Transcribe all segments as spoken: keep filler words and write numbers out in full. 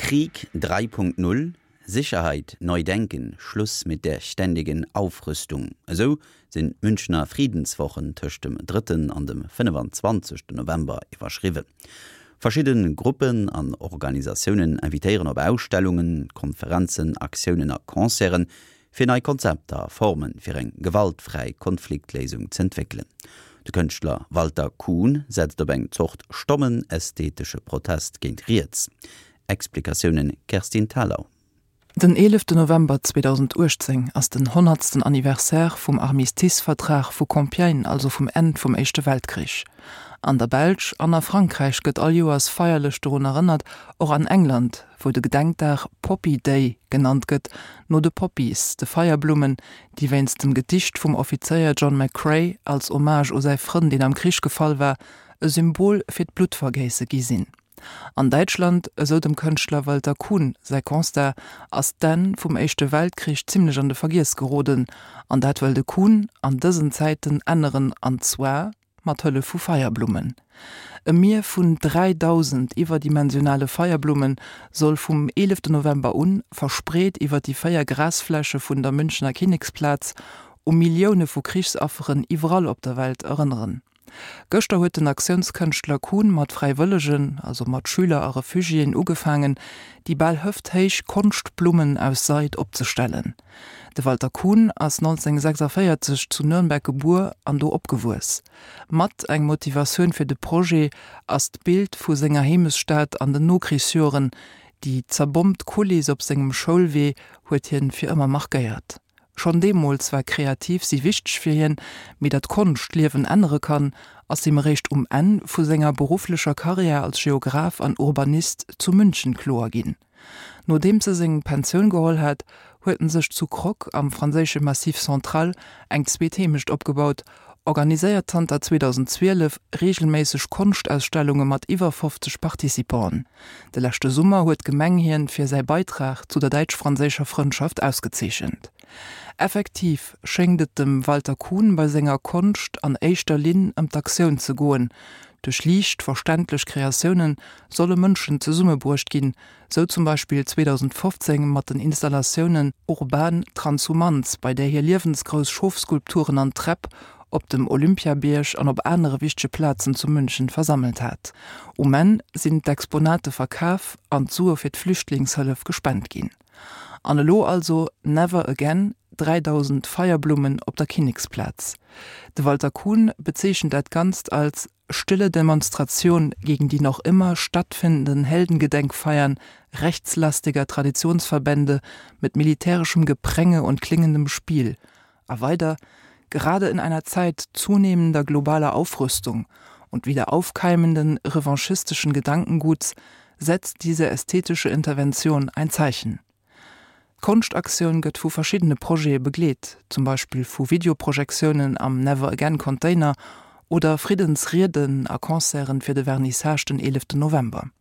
Krieg drei Punkt null, Sicherheit neu denken, Schluss mit der ständigen Aufrüstung. Esou sinn d'Münchener Friedenswochen tëscht dem drëtten an dem fënnefenzwanzegsten November iwwerschriwwen. Verschidde Gruppen an Organisatiounen invitéieren op Ausstellungen, Konferenzen, Aktiounen a Concerten, fir nei Konzepter a Forme fir eng gewaltfräi Konfliktléisung z'entwéckelen. De Kënschtler Walter Kuhn setzt op eng Zort stommen ästhetesche Protest géint riets. Explikatiounen Kerstin Thalau. Den eeleften November zweedausenduechtzéng ass den honnertsten Anniversaire vum Armistice-Vertrag vu Compiègne, also vum Enn vum Éischte Weltkrich. An der Belsch an a Frankräich gëtt all Joers feierlech dorun erënnert, och an England, wou de Gedenkdag Poppy Day genannt gëtt, no de Poppies, de Feierblummen, déi wéinst dem Gedicht vum Offizéier John McCrae als Hommage u säi Frënn, deen am Krich gefall war, e Symbol fir d'Bluttvergéisse gi sinn. An Däitschland, esou dem Kënschtler Walter Kuhn säi Constat, ass d'Enn vum Éischte Weltkrich zimmlech an de Vergiess geroden. An dat wëll de Kuhn an dësen Zäiten änneren, an zwar mat Hëllef vu Feierblummen. E Mier vun dräidausend iwwerdimensionale Feierblumme soll vum eeleften November un, verspreet iwwer déi véier Grasfläche vun der Münchener Kinneksplaz, u Millioune vu Krichsafferen iwwerall op der Welt erënneren. Gëschter huet den Aktiounskënschtler Kuhn mat Fräiwëllegen, also mat Schüler a Refugiéen, ugefaangen, déi bal hëfthéich Konschtblummen aus Seid opzestellen. De Walter Kuhn ass nonzénhunnertsechsundvéierzeg zu Nürnberg gebuer an do opgewuess. Mat eng Motivatioun fir de Projet ass d'Bild vu senger Heemechtsstad an den Nokrichsjoren, déi zerbommt Kuliss op sengem Schoulwee huet hien fir ëmmer markéiert. Schonn deemools war kreativ si wichteg fir hien, mee datt Konscht d'Liewen ännere kann, ass him eréischt um Enn vu senger berufflecher Karriär als Geograph an Urbanist zu München kloer ginn. Nodeems e seng Pensioun geholl hat, huet en sech zu Croq am franséische Massif Central eng zweet Heemecht opgebaut, organiséiert zanter zweedausendzwielef reegelméisseg Konschtausstellunge mat iwwer fofzeg Participanten. De leschte Summer huet d'Gemeng hien fir säi Beitrag zu der däitsch-franséischer Frëndschaft ausgezeechent. Effektiv schéngt et dem Walter Kuhn bei senger Konscht an éischter Linn ëm d'Aktioun ze goen. Duerch liicht verständlech Kreatioune solle Mënschen zesummebruecht ginn, sou zum Beispill zweedausendfofzéng mat den Installatiounen Urban Transhumanz, bei där hie liewensgrouss Schofskulpturen an Träpp op dem Olympiabierg an op anere wichtege Plazen zu München versammelt hat. Um Enn sinn d'Exponate verkaf an d'Sue fir d'Flüchtlingshëllef gespent ginn. An elo also Never Again, dräidausend Feierblummen op der Kinneksplaz. De Walter Kuhn bezeechent dat Ganzt als stille Demonstration gegen die noch immer stattfindenden Heldengedenkfeiern rechtslastiger Traditionsverbände mit militärischem Gepränge und klingendem Spiel. A weider, Gerade in einer Zeit zunehmender globaler Aufrüstung und wieder aufkeimenden revanchistischen Gedankenguts setzt diese ästhetische Intervention ein Zeichen. D'Konschtaktioun gëtt vu verschiddene Projete begleet, zum Beispill vu Videoprojektiounen am Never Again Container oder Friddensrieden a Concerten fir de Vernissage den eeleften November.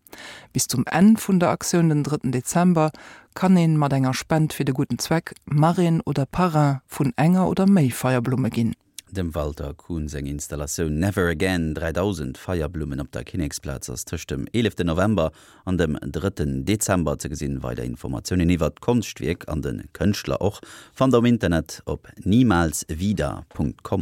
Bis zum Enn vun der Aktioun den drëtten Dezember kann een mat enger Spend fir de gudden Zweck Marraine oder Parrain vun enger oder méi Feierblumme ginn. Dem Walter Kuhn seng Installatioun Never Again dräidausend Feierblummen op der Kinneksplaz ass tëscht dem eeleften November an dem drëtten Dezember ze gesinn. Weider Informatiounen iwwert d'Konschtwierk an de Kënschtler och fannt der um Internet op niemalswieder Punkt com.